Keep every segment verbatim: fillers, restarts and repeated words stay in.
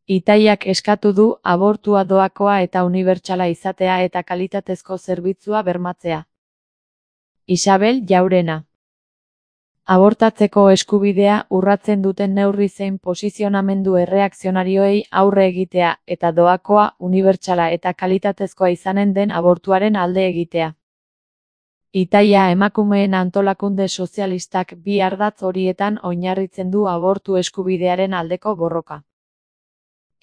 Itaiak eskatu du abortua doakoa eta unibertsala izatea eta kalitatezko zerbitzua bermatzea. Isabel Jaurena. Abortatzeko eskubidea urratzen duten neurri zein posizionamendu erreakzionarioei aurre egitea eta doakoa, unibertsala eta kalitatezkoa izanen den abortuaren alde egitea. Itaia emakumeen antolakunde sozialistak bi ardatz horietan oinarritzen du abortu eskubidearen aldeko borroka.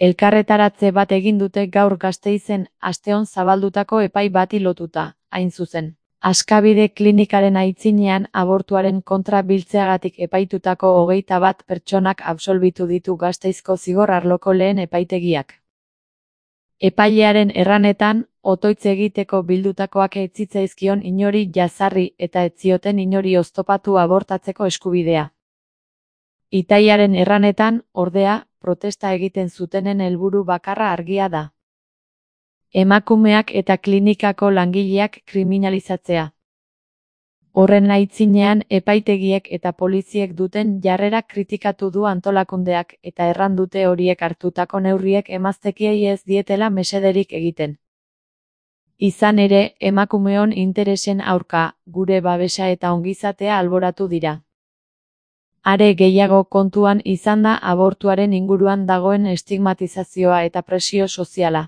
Elkarretaratze bat egin dute gaur Gasteizen asteon zabaldutako epai bati lotuta, hain zuzen. Askabide klinikaren aitzinean abortuaren kontra biltzeagatik epaitutako hogeita bat pertsonak absolbitu ditu Gasteizko zigor arloko lehen epaitegiak. Epailearen erranetan, otoitz egiteko bildutakoak ez zitzaizkion inori jazarri eta ez zioten inori oztopatu abortatzeko eskubidea. Itaiaren erranetan, ordea, protesta egiten zutenen helburu bakarra argia da. Emakumeak eta klinikako langileak kriminalizatzea. Horren aitzinean epaitegiek eta poliziek duten jarrera kritikatu du antolakundeak eta erran dute horiek hartutako neurriek emaztekiei ez dietela mesederik egiten. Izan ere, emakumeon interesen aurka, gure babesa eta ongizatea alboratu dira. Are gehiago kontuan izan da abortuaren inguruan dagoen estigmatizazioa eta presio soziala.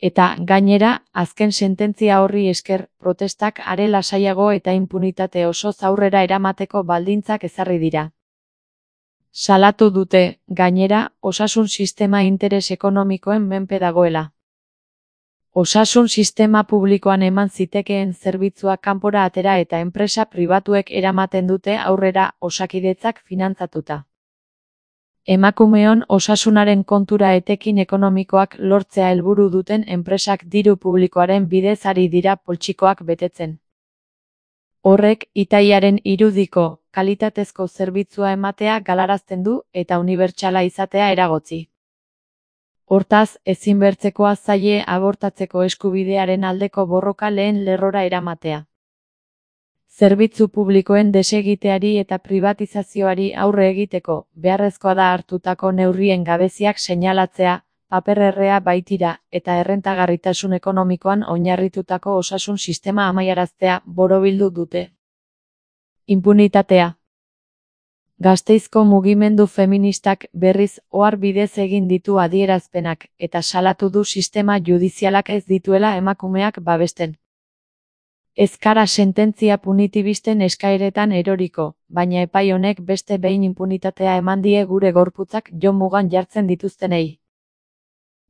Eta, gainera, azken sententzia horri esker, protestak are lasaiago eta inpunitate osoz aurrera eramateko baldintzak ezarri dira. Salatu dute, gainera, osasun sistema interes ekonomikoen menpe dagoela. Osasun sistema publikoan eman zitekeen zerbitzua kanpora atera eta enpresa pribatuek eramaten dute aurrera Osakidetzak finantzatuta. Emakumeon osasunaren kontura etekin ekonomikoak lortzea helburu duten enpresak diru publikoaren bidez ari dira poltsikoak betetzen. Horrek, itaiaren irudiko, kalitatezko zerbitzua ematea galarazten du eta unibertsala izatea eragotzi. Hortaz, ezinbertzekoa zaie abortatzeko eskubidearen aldeko borroka lehen lerrora eramatea. Zerbitzu publikoen desegiteari eta privatizazioari aurre egiteko, beharrezkoa da hartutako neurrien gabeziak seinalatzea, papererrea baitira, eta errentagarritasun ekonomikoan oinarritutako osasun sistema amaiaraztea borobildu dute. Inpunitatea. Gasteizko mugimendu feministak berriz ohar bidez egin ditu adierazpenak, eta salatu du sistema judizialak ez dituela emakumeak babesten. Ez gara sententzia punitibisten eskaeretan eroriko, baina epai honek beste behin inpunitatea eman die gure gorputzak jo mugan jartzen dituztenei.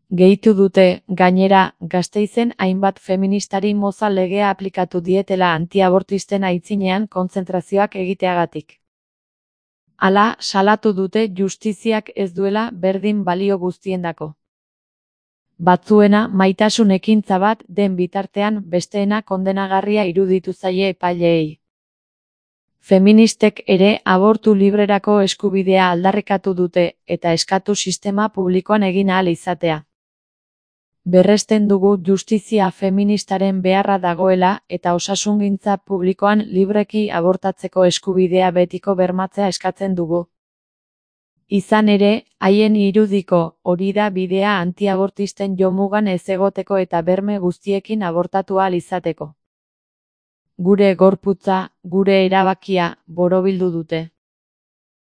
Gehitu dute, gainera, Gasteizen hainbat feministari moza legea aplikatu dietela antiabortisten aitzinean kontzentrazioak egiteagatik. Hala, salatu dute justiziak ez duela berdin balio guztiendako. Batzuena maitasun ekintza bat den bitartean besteena kondenagarria iruditu zaie epaileei. Feministek ere abortu librerako eskubidea aldarrikatu dute eta eskatu sistema publikoan egin ahal izatea. Berresten dugu justizia feministaren beharra dagoela eta osasungintza publikoan libreki abortatzeko eskubidea betiko bermatzea eskatzen dugu. Izan ere, haien irudiko hori da bidea antiabortisten jomugan ez egoteko eta berme guztiekin abortatu ahal izateko. Gure gorputza, gure erabakia, borobildu dute.